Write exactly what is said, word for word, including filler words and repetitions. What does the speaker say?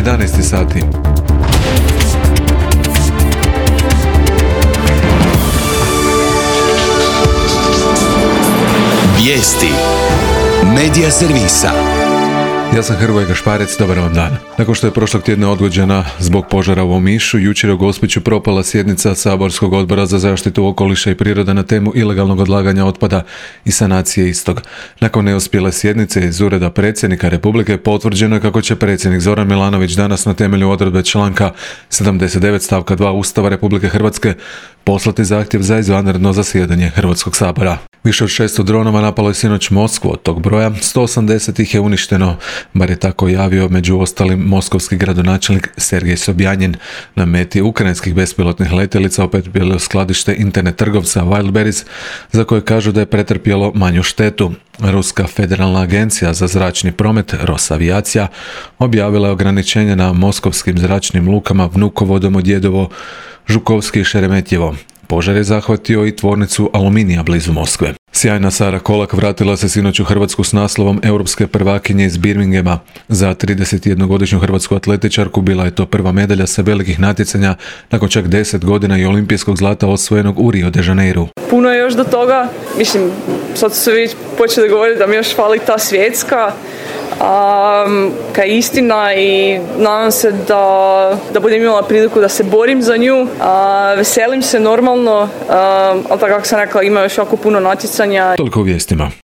jedanaest sati. Vijesti Medija servisa. Ja sam Hrvoje Gašparec, dobar vam dan. Nakon što je prošlog tjedna odgođena zbog požara u Omišu, jučer je u Gospiću propala sjednica Saborskog odbora za zaštitu okoliša i prirode na temu ilegalnog odlaganja otpada i sanacije istog. Nakon neuspjele sjednice iz Ureda predsjednika Republike potvrđeno je kako će predsjednik Zoran Milanović danas na temelju odredbe članka sedamdeset devet stavka dva Ustava Republike Hrvatske poslati zahtjev za izvanredno zasjedanje Hrvatskog sabora. Više od šesto dronova napalo je sinoć Moskvu, od tog broja sto osamdeset ih je uništeno, bar je tako javio među ostalim moskovski gradonačelnik Sergej Sobjanin. Na meti ukrajinskih bespilotnih letjelica opet bilo skladište internet trgovca Wildberries, za koje kažu da je pretrpjelo manju štetu. Ruska federalna agencija za zračni promet Rosavijacija objavila je ograničenje na moskovskim zračnim lukama Vnukovo, Domodjedovo, Žukovski i Šeremetjevo. Požar je zahvatio i tvornicu aluminija blizu Moskve. Sjajna Sara Kolak vratila se sinoć u Hrvatsku s naslovom europske prvakinje iz Birminghama. Za tridesetjednogodišnju hrvatsku atletičarku bila je to prva medalja sa velikih natjecanja nakon čak deset godina i olimpijskog zlata osvojenog u Rio de Janeiru. Puno je još do toga, mislim, sad su se već počeli govoriti da mi još fali ta svjetska, um, kaj je istina i nadam se da, da budem imala priliku da se borim za nju. Uh, veselim se normalno, um, ali tako kako sam rekla, ima još jako puno natjecanja. Toliko u vijestima.